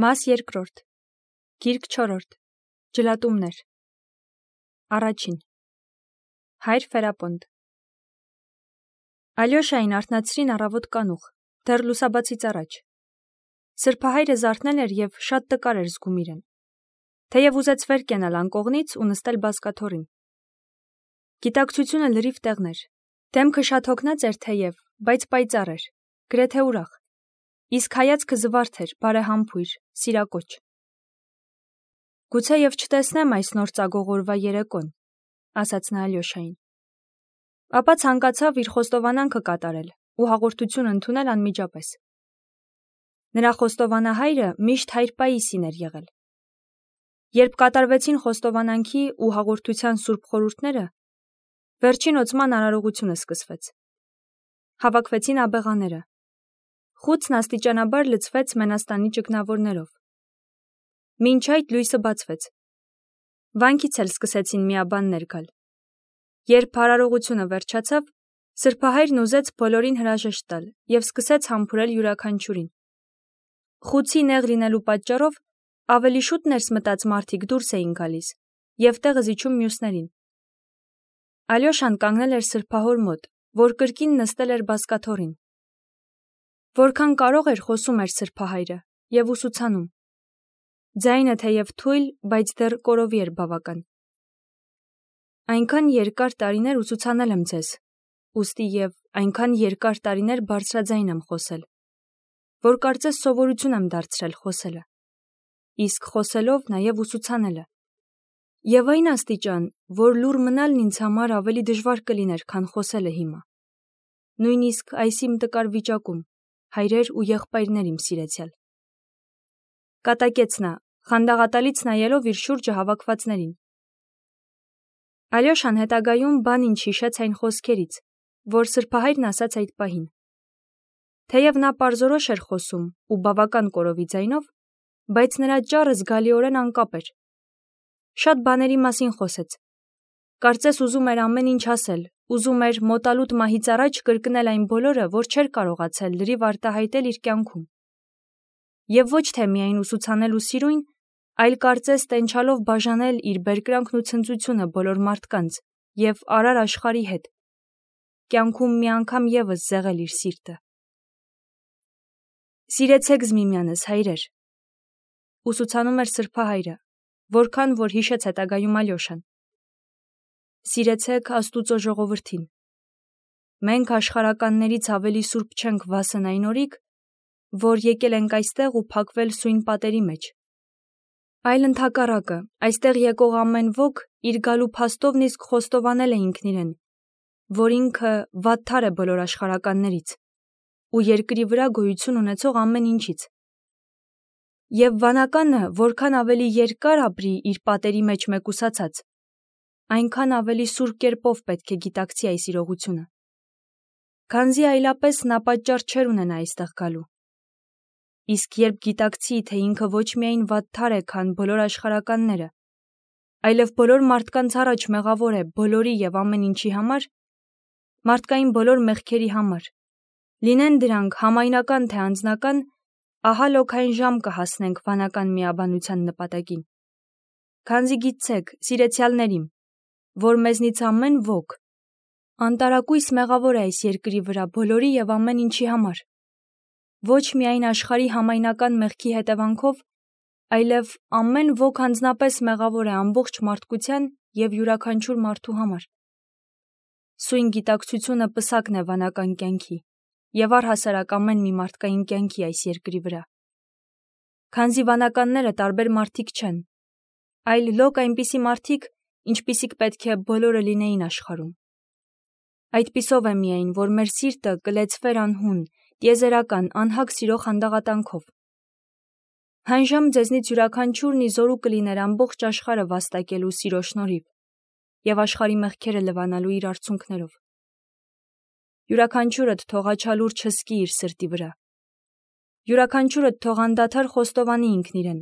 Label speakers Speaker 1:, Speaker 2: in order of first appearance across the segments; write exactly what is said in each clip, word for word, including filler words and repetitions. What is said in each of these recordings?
Speaker 1: Մաս երկրորդ Գիրք չորրորդ Ջլատումներ Առաջին Հայր Ֆերապոնտ Ալյոշային արթնացրին առավոտ կանուխ, դեռ լուսաբացից առաջ։ Սրբահայրը զարթնել էր և շատ տկար էր զգում իրեն, թեև ուզեց վեր կենալ անկողնից ու նստել բազկաթոռին։ Գիտակցությունը լրիվ տեղն էր, դեմքը շատ հոգնած էր թեև, բայց պայծառ էր, գրեթե ուրախ, իսկ հայացքը զվարթ էր, բարեհամբույր, սիրակոչ։ Գուցե և չտեսնեմ այս նոր ծագող օրվա երեկոն, ասաց նա Ալյոշային։ Ապա ցանկացավ իր խոստովանանքը կատարել ու հաղորդություն ընդունել անմիջապես։ Նրա խոստովանահայրը միշտ հայր Պաիսին էր եղել։ Երբ կատարվեցին խոստովանանքի ու հաղորդության սուրբ խորհուրդները, վերջին օծման արարողությունը սկսվեց։ Հավաքվեցին աբեղաները։ Խուցն աստիճանաբար լցվեց մենաստանի ճգնավորներով։ Մինչ այդ լույսը բացվեց։ Վանքից էլ սկսեցին միաբաններ գալ։ Երբ արարողությունը վերջացավ, սրբահայրն ուզեց բոլորին հրաժեշտ տալ և սկսեց համբուրել յուրաքանչյուրին։ Խուցի նեղ լինելու պատճառով ավելի շուտ ներս մտած մարդիկ դուրս էին գալիս և տեղը զիջում մյուսներին։ Ալյոշան կանգնել էր սրբահոր մոտ, որ կրկին նստել էր բազկաթոռին։ Որքան կարող էր խոսում էր սրբահայրը և ուսուցանում։ Ձայնը թեև թույլ, բայց դեռ կորովի էր բավական։ Այնքան երկար տարիներ ուսուցանել եմ ձեզ, ուստի և այնքան երկար տարիներ բարձրաձայն եմ խոսել, որ կարծես սովորություն եմ դարձրել խոսելը, իսկ խոսելով նաև ուսուցանելը։ Եվ այն աստիճան, որ լուռ մնալն ինձ համար ավելի դժվար կլիներ, քան խոսելը հիմա։ Նույնիսկ այս իմ տկար վիճակում, հայրեր ու եղբայրներ իմ սիրեցյալ։ Կատակեց նա, խանդաղատալից նայելով իր շուրջը հավաքվածներին։ Ալյոշան հետագայում բան ինչ հիշեց այն խոսքերից, որ սրբահայրն ասաց այդ պահին։ Թեև նա պարզորոշ էր խոսում ու բավական կորովի ձայնով, բայց նրա ճառը զգալիորեն անկապ էր։ Շատ բաների մասին խոսեց։ Կարծես ուզում էր ամեն ինչ ասել, ուզում էր մոտալուտ մահից առաջ կրկնել այն բոլորը, որ չէր կարողացել լրիվ արտահայտել իր կյանքում։ Եվ ոչ թե միայն ուսուցանել ու սիրույն, այլ կարծես տենչալով բաժանել իր բերկրանքն ու ցնծությունը բոլոր մարդկանց և արար աշխարհի հետ, կյանքում մի անգամ ևս զեղել իր սիրտը։ Սիրեցեք միմյանս, հայրեր, ուսուցանում էր սրբահայրը, որքան որ հիշեց հետագայում Ալյոշան։ Սիրեցեք Աստուծո ժողովրդին։ Մենք աշխարհականներից ավելի սուրբ չենք վասն այն օրիք, որ եկել ենք այստեղ ու փակվել սույն պատերի մեջ, այլ ընդհակառակը, այստեղ եկող ամեն ոք իր գալու փաստովն իսկ խոստովանել է ինքն իրեն, որ ինքը վատթար է բոլոր աշխարհականներից ու երկրի վրա գոյություն ունեցող ամեն ինչից։ Եվ վանականը որքան ավելի երկար ապրի իր պատերի մեջ մեկուսացած, այնքան ավելի սուրբ կերպով պետք է գիտակցի այս իրողությունը, քանզի այլապես նա պատճառ չէր ունենա այստեղ գալու։ Իսկ երբ գիտակցի, թե ինքը ոչ միայն վատթար է, քան բոլոր աշխարհականները, այլև բոլոր մարդկանց առաջ մեղավոր է բոլորի և ամեն ինչի համար, մարդկային բոլոր մեղքերի համար, լինեն դրանք համայնական թե անձնական, ահա լոքային ժամ կհասնենք վանական միաբանության նպատակին։ Քանզի գիտցեք, սիրեցյալներ իմ, որ մեզնից ամեն ոք անտարակույս մեղավոր է այս երկրի վրա բոլորի և ամեն ինչի համար, ոչ միայն աշխարհի համայնական մեղքի հետևանքով, այլև ամեն ոք անձնապես մեղավոր է ամբողջ մարդկության և յուրաքանչյուր մարդու համար։ Սույն գիտակցությունը պսակն է վանական կյանքի և առհասարակ ամեն մի մարդկային կյանքի այս երկրի վրա։ Քանզի վանականները տարբեր մարդիկ չեն, այլ լոկ այնպիսի մարդիկ, ինչպիսիք պետք է բոլորը լինեին աշխարհում։ Այդպիսով է միայն, որ մեր սիրտը կլեցվեր անհուն, տիեզերական, անհագ սիրո խանդաղատանքով։ Հանժամ ձեզնից յուրաքանչյուրն ի զորու կլիներ ամբողջ աշխարհը վաստակելու սիրո շնորհիվ և աշխարհի մեղքերը լվանալու իր արցունքներով։ Յուրաքանչյուրդ թող աչալուր չզգի իր սրտի վրա։ Յուրաքանչյուրդ թող անդադար խոստովանի ինքն իրեն։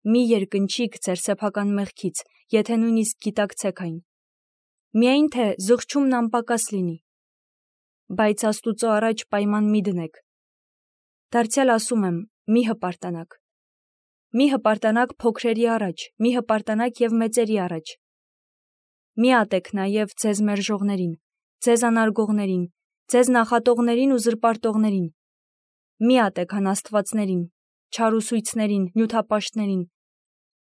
Speaker 1: Մի երկնչիք ձեր սեփական մեղքից, եթե նույնիսկ գիտակցեք այն։ Միայն թե զղջումն անպակաս լինի։ Բայց Աստուծո առաջ պայման մի դնեք։ Դարձյալ ասում եմ, մի հպարտանաք, մի հպարտանակ փոքրերի առաջ, մի հպարտանակ և մեծերի առաջ։ Մի ատեք նաև ձեզ մերժողներին, ձեզ անարգողներին, ձեզ նախատողներին ու զրպարտողներին։ Մի ատեք անաստվածներին, չարուսույցներին, նյութապաշտներին։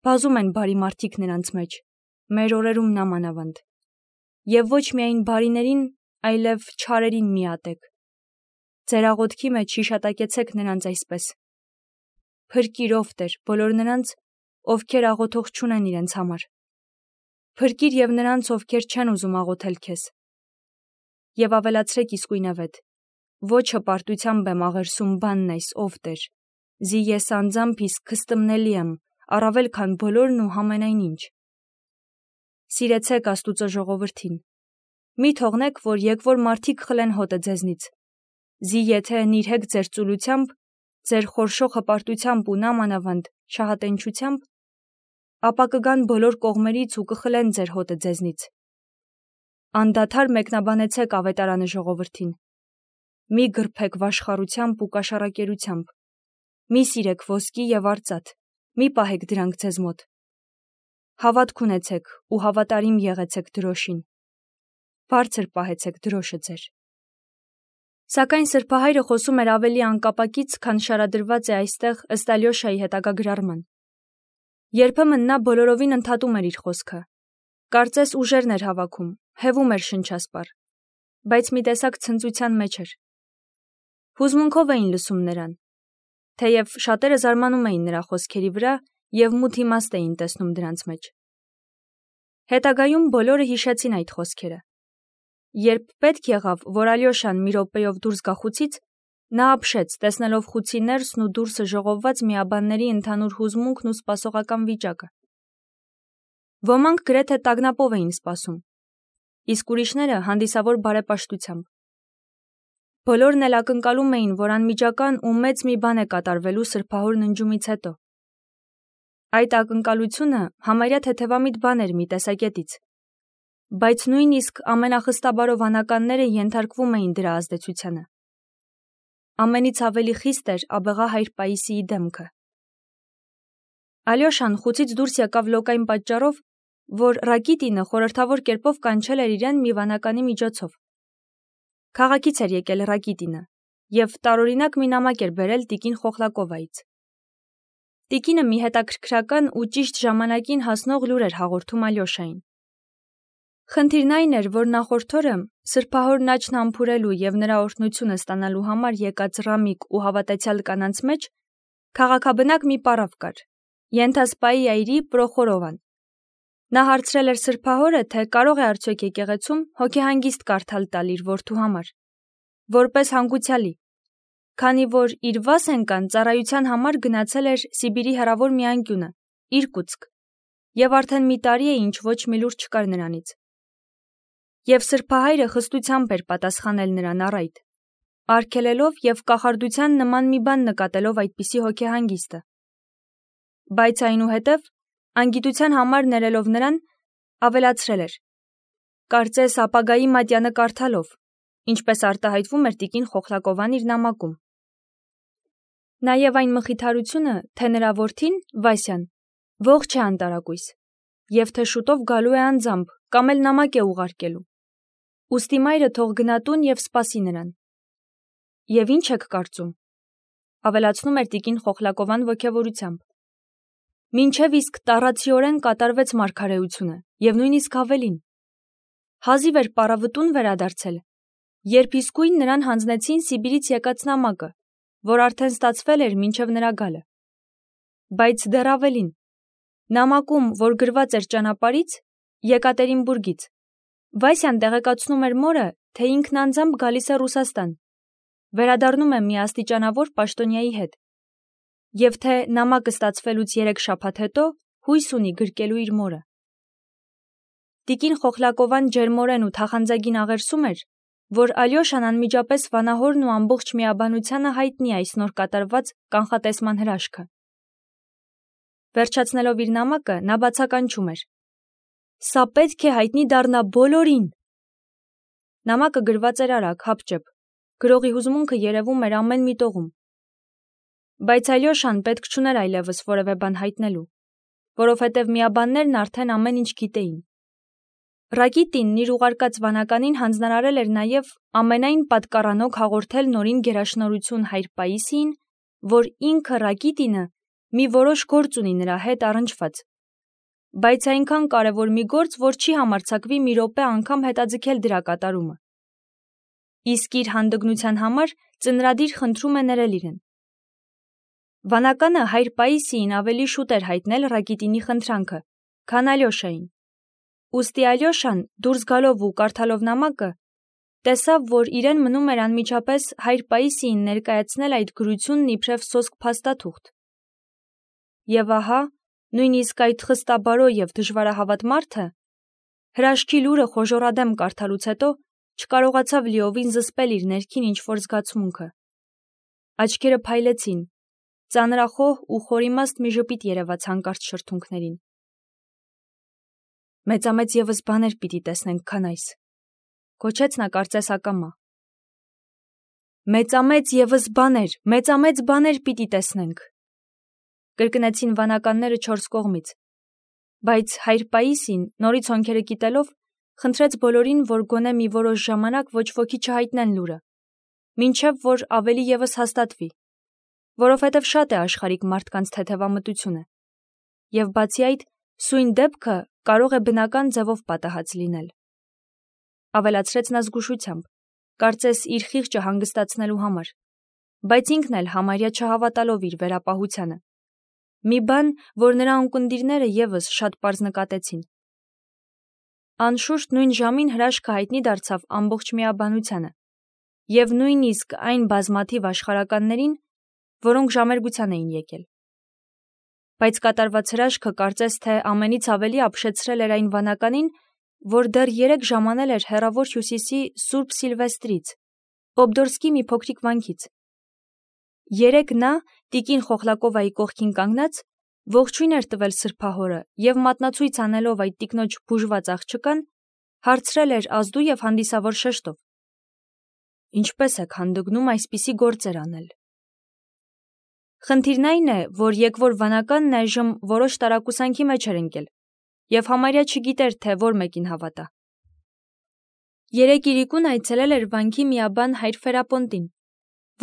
Speaker 1: Բազում են բարի մարդիկ նրանց մեջ, մեր օրերում նամանավանդ։ Եվ ոչ միայն բարիներին, այլև չարերին մի ատեք։ Ձեր աղոթքի մեջ հիշատակեցեք նրանց այսպես. Փրկիր ով Տեր բոլոր նրանց, ովքեր աղոթող չունեն իրենց համար։ Փրկիր և նրանց, ովքեր չեն ուզում աղոթել քեզ։ Եվ ավելացրեք իսկույնավետ. ոչ հպարտությամբ եմ աղերսում բանն այս, ով Տեր, զի ես անձամբ իսկ քստմնելի եմ, առավել քան բոլորն ու համենայն ինչ։ Սիրեցեք Աստուծո ժողովրդին։ Մի թողնեք, որ եկվոր մարդիկ խլեն հոտը ձեզնից։ Զի եթե նիրհեք ձեր ծուլությամբ, ձեր խորշող հպարտությամբ ու նամանավանդ շահատենչությամբ, ապա կգան բոլոր կողմերից ու կխլեն ձեր հոտը ձեզնից։ Անդադար մեկնաբանեցեք ավետարանը ժողովրդին։ Մի գրբեք վաշխառությամբ ու կաշառակերությամբ։ Մի սիրեք ոսկի և արծաթ, մի պահեք դրանք ձեզ մոտ։ Հավատք ունեցեք ու հավատարիմ եղեցեք դրոշին։ Բարձր պահեցեք դրոշը ձեր։ Սակայն սրբահայրը խոսում էր ավելի անկապակից, քան շարադրված է այստեղ ըստ Ալյոշայի հետագա գրառման։ Երբեմն նա բոլորովին ընդհատում էր իր խոսքը։ Կարծես ուժերն էր հավաքում, հևում էր շնչասպառ, բայց մի տեսակ ցնծության մեջ էր։ Հուզմունքով էին լսում նրան, թեև շատերը զարմանում էին նրա խոսքերի վրա և մութ իմաստ էին տեսնում դրանց մեջ։ Հետագայում բոլորը հիշեցին այդ խոսքերը։ Երբ պետք եղավ, որ Ալյոշան մի րոպեով դուրս գա խուցից, նա ապշեց, տեսնելով խուցի ներսն ու դուրսը ժողովված միաբանների ընդհանուր հուզմունքն ու սպասողական վիճակը։ Ոմանք գրեթե տագնապով էին սպասում, իսկ ուրիշները հանդիսավոր բարեպաշտությամբ։ Բոլորն էլ ակնկալում էին, որ անմիջական ու մեծ մի բան է կատարվելու սրբահոր ննջումից հետո։ Այդ ակնկալությունը համարյա թեթևամիտ բան էր մի տեսակետից, բայց նույնիսկ ամենախստաբարով անականները ենթարկվում էին դրա ազդեցությանը։ Ամենից ավելի խիստ էր աբեղա հայր Պաիսիի դեմքը։ Ալյոշան խուցից դուրս եկավ լոկային պատճառով, որ Ռակիտինը խորհրդավոր կերպով կանչել էր իրեն մի վանականի միջոցով։ Քաղաքից էր եկել Ռակիտինը և տարօրինակ մի նամակ էր բերել տիկին Խոխլակովայից։ Տիկինը մի հետաքրքրական ու ճիշտ ժամանակին հասնող լուր էր հաղորդում Ալյոշային։ Խնդիրն այն էր, որ նախորդ օրը սրբահորն աչքն համբուրելու և նրա օրհնությունը ստանալու համար եկած ռամիկ ու հավատացյալ կանանց մեջ քաղաքաբնակ մի պարավ կար, Ենթասպայի այրի Պրոխորովան։ Նա հարցրել էր սրբահորը, թե կարող է արդյոք եկեղեցում հոգեհանգիստ կարդալ տալ իր որդու համար, որպես հանգուցյալի, քանի որ իր Վասենկան ծառայության համար գնացել էր Սիբիրի հեռավոր մի անկյունը, Իրկուտսկ, և արդեն մի տարի է, ինչ ոչ մի լուր չկար նրանից։ Եվ սրբահայրը խստությամբ էր պատասխանել նրան առայդ, արգելելով և կախարդության նման մի բան նկատելով այդպիսի հոգեհանգիստը։ Բայց այնուհետև, անգիտության համար ներելով նրան, ավելացրել էր. կարծես ապագայի մատյանը կարդալով, ինչպես արտահայտվում էր տիկին Խոխլակովան իր նամակում։ Նաև այն մխիթարությունը, թե նրա որդին, Վասյան, ողջ է անտարակույս, և թե շուտով գալու է անձամբ, կամ էլ նամակ է ուղարկելու։ Ուստի մայրը թող գնա տուն և սպասի նրան։ Եվ ինչ եք կարծում, ավելացնում էր տիկին Խոխլակովան ոգևորությամբ։ Մինչև իսկ տառացիորեն կատարվեց մարգարեությունը, և նույնիսկ ավելին։ Հազիվ էր պարավը տուն վերադարձել, երբ իսկույն նրան հանձնեցին Սիբիրից եկած նամակը, որ արդեն ստացվել էր մինչև նրա գալը։ Բայց դեռ ավելին, նամակում, որ գրված էր ճանապարհից, Եկատերինբուրգից, Վասյան տեղեկացնում էր մորը, թե ինքն անձամբ գալիս է Ռուսաստան, վերադառնում է մի աստիճանավոր պաշտոնյայի հետ, և թե նամակը ստացվելուց երեք շաբաթ հետո հույս ունի գրկելու իր մորը։ Տիկին Խոխլակովան ջերմորեն ու թախանձագին աղերսում էր, որ Ալյոշան անմիջապես վանահորն ու ամբողջ միաբանությանը հայտնի այս նոր կատարված կանխատեսման հրաշքը։ Վերջացնելով իր նամակը, նա բացականչում էր. «Սա պետք է հայտնի դառնա բոլորին»։ Նամակը գրված էր արագ, հապճեպ, գրողի հուզմունքը երևում էր ամեն մի տողում։ Բայց Ալյոշան պետք չուներ այլևս որևէ բան հայտնելու, որովհետև միաբաններն արդեն ամեն ինչ գիտեին։ Ռակիտինն իր ուղարկած վանականին հանձնարարել էր նաև ամենայն պատկառանոք հաղորդել նորին գերաշնորհություն հայր Պաիսիին, որ ինքը Ռակիտինը մի որոշ գործ ունի նրա հետ առնչված, բայց այնքան կարևոր մի գործ, որ չի համարձակվի մի րոպե անգամ հետաձգել դրա կատարումը։ Իսկ իր հանդգնության համար ծնրադիր խնդրում է ներել իրեն։ Վանականը հայր Պաիսիին ավելի շուտ էր հայտնել Ռակիտինի խնդրանքը, քան Ալյոշային։ Ուստի Ալյոշան, դուրս գալով ու կարդալով նամակը, տեսավ, որ իրեն մնում էր անմիջապես հայր Պաիսիին ներկայացնել այդ գրությունն իբրև սոսկ փաստաթուղթ։ Եվ ահա, նույնիսկ այդ խստաբարո և դժվարահավատ մարդը, հրաշքի լուրը խոժոռադեմ կարդալուց հետո, չկարողացավ լիովին զսպել իր ներքին ինչ-որ զգացմունքը։ Աչքերը փայլեցին, ծանրախոհ ու խորիմաստ մի ժպիտ երևաց հանկարծ շրթունքներին։ Մեծամեծ ևս բաներ պիտի տեսնենք, քան այս, կոչեց նա կարծես ակամա։ Մեծամեծ ևս բաներ, մեծամեծ բաներ պիտի տեսնենք, կրկնեցին վանականները չորս կողմից, բայց հայր Պաիսին, նորից հոնքերը կիտելով, խնդրեց բոլորին, որ գոնե մի որոշ ժամանակ ոչ ոքի չհայտնեն լուրը, մինչև որ ավելի ևս հաստատվի, որովհետև շատ է աշխարհիկ մարդկանց թեթևամտությունը, և բացի այդ, սույն դեպքը կարող է բնական ձևով պատահած լինել։ Ավելացրեց նա զգուշությամբ, կարծես իր խիղճը հանգստացնելու համար, բայց ինքն էլ համարյա չհավատալով իր վերապահությանը։ Մի բան, որ նրա ունկնդիրները ևս շատ պարզ նկատեցին։ Անշուշտ նույն ժամին հրաշքը հայտնի դարձավ ամբողջ միաբանությանը, և նույնիսկ այն բազմաթիվ աշխարհականներին, որոնք ժամերգության էին եկել։ Բայց կատարված հրաշքը կարծես թե ամենից ավելի ապշեցրել էր այն վանականին, որ դեռ երեկ ժամանել էր հեռավոր հյուսիսի Սուրբ Սիլվեստրից, Օբդորսկի մի փոքրիկ վանքից։ Երեկ նա, տիկին Խոխլակովայի կողքին կանգնած, ողջույն էր տվել սրբահորը և մատնացույց անելով այդ տիկնոջ բուժված աղջկան, հարցրել էր ազդու և հանդիսավոր շեշտով. Ինչպե՞ս եք հանդգնում այսպիսի գործեր անել։ Խնդիրն այն է, որ եկվոր վանականն այժմ որոշ տարակուսանքի մեջ էր ընկել և համարյա չգիտեր, թե որ մեկին հավատա։ Երեկ իրիկուն այցելել էր վանքի միաբան հայր Ֆերապոնտին,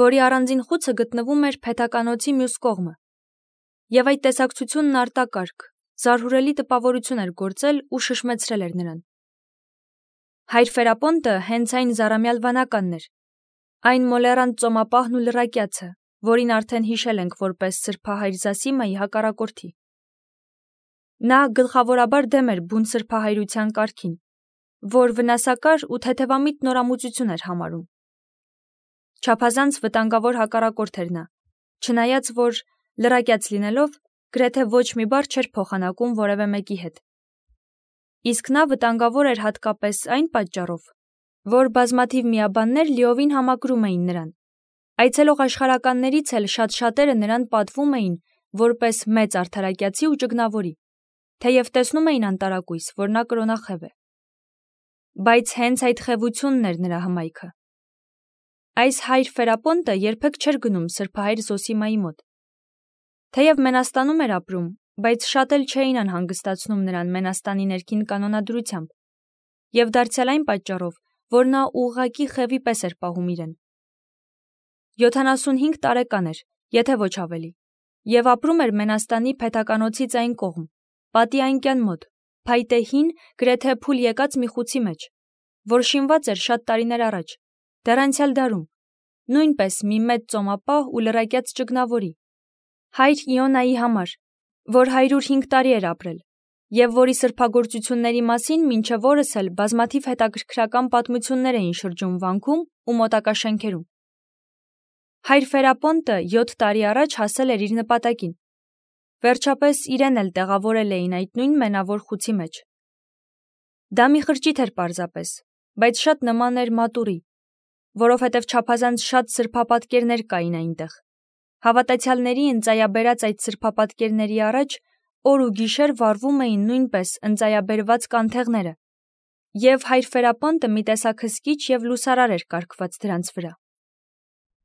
Speaker 1: որի առանձին խուցը գտնվում էր փեթականոցի մյուս կողմը, և այդ տեսակցությունն արտակարգ, զարհուրելի տպավորություն էր գործել ու շշմեցրել էր նրան։ Հայր Ֆերապոնտը հենց այն զառամյալ վանականն էր, այն մոլեռանդ ծոմապահն ու լրակյացը, որին արդեն հիշել ենք որպես սրբահայր Զասիմայի հակառակորդի։ Նա գլխավորաբար դեմ էր բուն սրբահայրության կարգին, որ վնասակար ու թեթևամիտ նորամուծություն էր համարում։ Չափազանց վտանգավոր հակառակորդ էր նա, չնայած որ, լրակյաց լինելով, գրեթե ոչ մի բառ չէր փոխանակում որևէ մեկի հետ։ Իսկ նա վտանգավոր էր հատկապես այն պատճառով, որ բազմաթիվ միաբաններ լիովին համակրում էին նրան։ Այցելող աշխարհականներից էլ շատ-շատերը նրան պատվում էին որպես մեծ արդարակյացի ու ճգնավորի, թեև տեսնում էին անտարակույս, որ նա կրոնախև է։ Բայց հենց այդ խևությունն էր նրա հմայքը։ Այս հայր Ֆերապոնտը երբեք չէր գնում սրբահայր Զոսիմայի մոտ։ Թեև Մենաստանում էր ապրում, բայց շատ էլ չէին անհանգստացնում նրան Մենաստանի ներքին կանոնադրությամբ, և դարձյալ այն պատճառով, որ նա ուղղակի խևի պես էր պահում իրեն։ յոթանասունհինգ տարեկան էր, եթե ոչ ավելի, և ապրում էր Մենաստանի փեթականոցից այն կողմ, պատի անկյան մոտ, փայտե հին, գրեթե փուլ եկած մի խուցի մեջ, որ շինված էր շատ տարիներ առաջ, դեռ անցյալ դարում, նույնպես մի մեծ ծոմապահ ու լրակյաց ճգնավորի, հայր Իոնայի համար, որ հարյուր հինգ տարի էր ապրել, և որի սրբագործությունների մասին մինչև օրս էլ բազմաթիվ հետաքրքրական պատմություններ էին շրջում վանքում ու մոտակա շենքերում։ Հայր Ֆերապոնտը յոթ տարի առաջ հասել էր իր նպատակին։ Վերջապես իրեն էլ տեղավորել էին այդ նույն մենավոր խուցի մեջ։ Դա մի խրճիթ էր պարզապես, բայց շատ նման էր մատուռի, որովհետև չափազանց շատ սրբապատկերներ կային այնտեղ։ Հավատացյալների ընծայաբերած այդ սրբապատկերների առաջ օր ու գիշեր վառվում էին նույնպես ընծայաբերված կանթեղները, և հայր Ֆերապոնտը մի տեսակ հսկիչ և լուսարար էր կարգված դրանց վրա։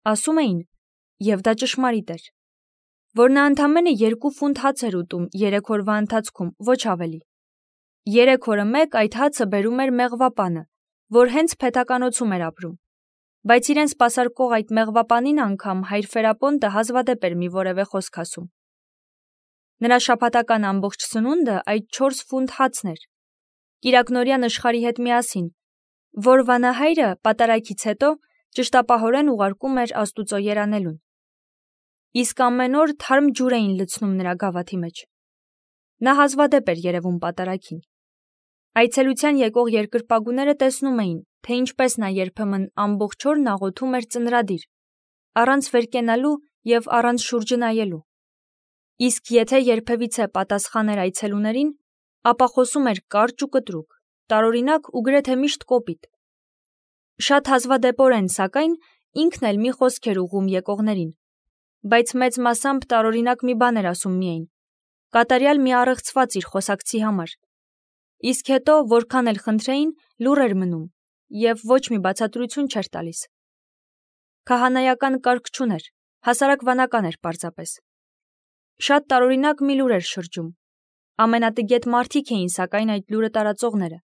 Speaker 1: Ասում էին, և դա ճշմարիտ էր, որ նա ընդամենը երկու ֆունտ հաց էր ուտում երեք օրվա ընթացքում, ոչ ավելի։ Երեք օրը մեկ այդ հացը բերում էր մեղվապանը, որ հենց փեթականոցում էր ապրում, բայց իրեն սպասարկող այդ մեղվապանին անգամ հայր Ֆերապոնտը հազվադեպ էր մի որևէ խոսք ասում։ Նրա շաբաթական ամբողջ սնունդը այդ չորս ֆունտ հացն էր, կիրակնօրյա նշխարի հետ միասին, որ վանահայրը պատարագից հետո ճշտապահորեն ուղարկում էր Աստուծո երանելուն։ Իսկ ամեն օր թարմ ջուր էին լցնում նրա գավաթի մեջ։ Նա հազվադեպ էր երևում պատարագին։ Այցելության եկող երկրպագուները տեսնում էին, թե ինչպես նա երբեմն ամբողջ օրն աղոթում էր ծնրադիր, առանց վերկենալու և առանց շուրջը նայելու։ Իսկ եթե երբևիցե պատասխան էր այցելուներին, ապա խոսում էր կարճ ու կտրուկ, տարօրինակ ու գրեթե միշտ կոպիտ։ Շատ հազվադեպորեն, սակայն, ինքն էլ մի խոսք էր ուղղում եկողներին, բայց մեծ մասամբ տարօրինակ մի բան էր ասում միայն, կատարյալ մի առեղծված իր խոսակցի համար, իսկ հետո, որքան էլ խնդրեին, լուռ էր մնում և ոչ մի բացատրություն չէր տալիս։ Քահանայական կարգ չուներ, հասարակ վանական էր պարզապես։ Շատ տարօրինակ մի լուր էր շրջում։ Ամենատգետ մարդիկ էին սակայն այդ լուրը տարածողները,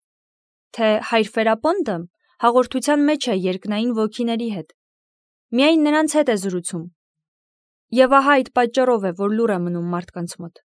Speaker 1: թե հայր Ֆերապոնտը հաղորդության մեջ է երկնային ոգիների հետ, միայն նրանց հետ է զրուցում, և ահա այդ պատճառով է, որ լուռ է մնում մարդկանց մոտ։